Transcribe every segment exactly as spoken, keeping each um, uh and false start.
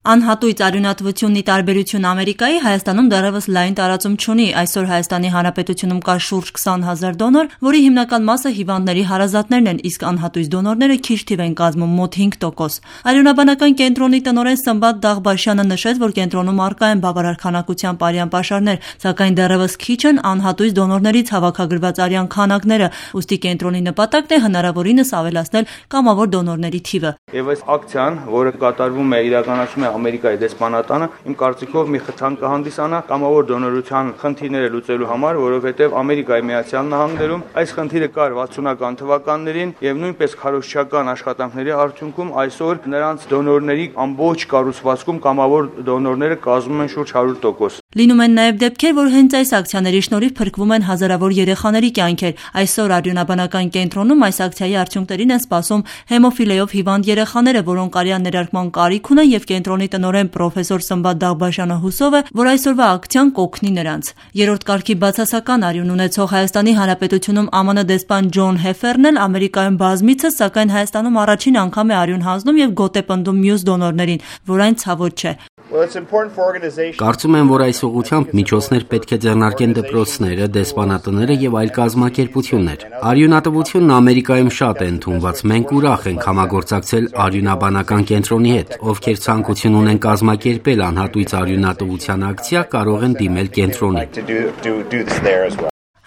Անհատույց արյունատվությունն ի տարբերություն Ամերիկայի Հայաստանում դեռևս լայն տարածում չունի։ Այսօր Հայաստանի Հանրապետությունում կա շուրջ քսան հազար դոնոր, որի հիմնական մասը հիվանդների հարազատներն են, իսկ անհատույց դոնորները քիչ թիվ են կազմում՝ մոտ հինգ տոկոս։ Արյունաբանական կենտրոնի տնօրեն Սմբատ Դաղբաշյանը նշեց, որ կենտրոնում առկա են բավարար քանակությամբ արյան պաշարներ, սակայն դեռևս քիչ են անհատույց դոնորներից հավաքագրված արյան քանակները, ուստի կենտրոնի նպատակն է հնարավորինս ավելացնել կամավոր դոնորների թիվը։ Եվ այս ակցիան, որը կատարվում է իրականացում է Ամերիկայի դեսպանատանը, իմ կարծիքով մի խթան կհանդիսանա կամավոր դոնորության խնդիրները լուծելու համար, որովհետև Ամերիկայի Միացյալ Նահանգներում այս խնդիրը կար վաթսունական թվականներին եւ նույնպես քարոզչական աշխատանքների արդյունքում այսօր նրանց դոնորների ամբողջ կառուցվածքում կամավոր դոնորները կազմում են շուրջ հարյուր տոկոս։ Լինում են նաև դեպքեր, որ հենց այս ակցիաների շնորհիվ փրկվում են հազարավոր երեխաների կյանքեր։ Այսօր արյունաբանական կենտրոնում այս ակցիայի արդյունքներին են սպասում հեմոֆիլիայով հիվանդ երեխաները, որոնք արյան ներարկման կարիք ունեն, եւ կենտրոնի տնօրեն պրոֆեսոր Սմբատ Դաղբաշյանը հուսով է, որ այսօրվա ակցիան կօգնի նրանց։ Երրորդ կարգի բացասական արյուն ունեցող Հայաստանի Հանրապետությունում Ամն դեսպան Ջոն Հեֆերն էլ Ամերիկայում բազմիցս, սակայն Հայաստանում առաջին անգամ է արյուն հանձնում եւ գոտեպնդում մյուս դոնորներին, որ այն ցավոտ չէ։ Կարծում եմ, որ այս ուղղությամբ միջոցներ պետք է ձեռնարկեն դպրոցները, դեսպանատները եւ այլ կազմակերպություններ։ Արյունատվությունն Ամերիկայում շատ է ընդունված։ Մենք ուրախ ենք համագործակցել արյունաբանական կենտրոնի հետ, ովքեր ցանկություն ունեն կազմակերպել անհատույց արյունատվության ակցիա, կարող են դիմել կենտրոնին։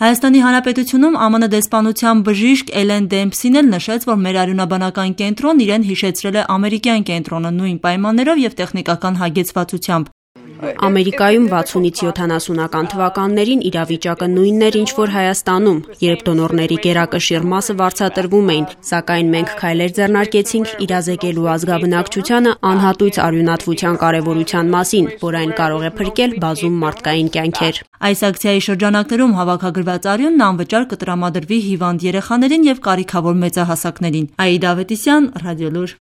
Հայաստանի Հանրապետությունում Ամն դեսպանության բժիշկ Էլեն Դեմփսին էլ նշեց, որ մեր արյունաբանական կենտրոնն իրեն հիշեցրել է ամերիկյան կենտրոնը նույն պայմաններով եւ տեխնիկական հագեցվածությամբ։ Ամերիկայում վաթսունից յոթանասունական թվականներին իրավիճակը նույնն էր, ինչ որ Հայաստանում, երբ դոնորների գերակշիռ մասը վարձատրվում էին, սակայն մենք քայլեր ձեռնարկեցինք իրազեկելու ազգաբնակչությանը անհատույց արյունատվության կարևորության մասին, որ այն կարող է փրկել բազում մարդկային կյանքեր։ Այս ակցիայի շրջանակներում հավաքագրված արյունն անվճար կտրամադրվի հիվանդ երեխաներին եւ կարիքավոր մեծահասակներին։ Աիդա Ավետիսյան, Ռադիոլուր։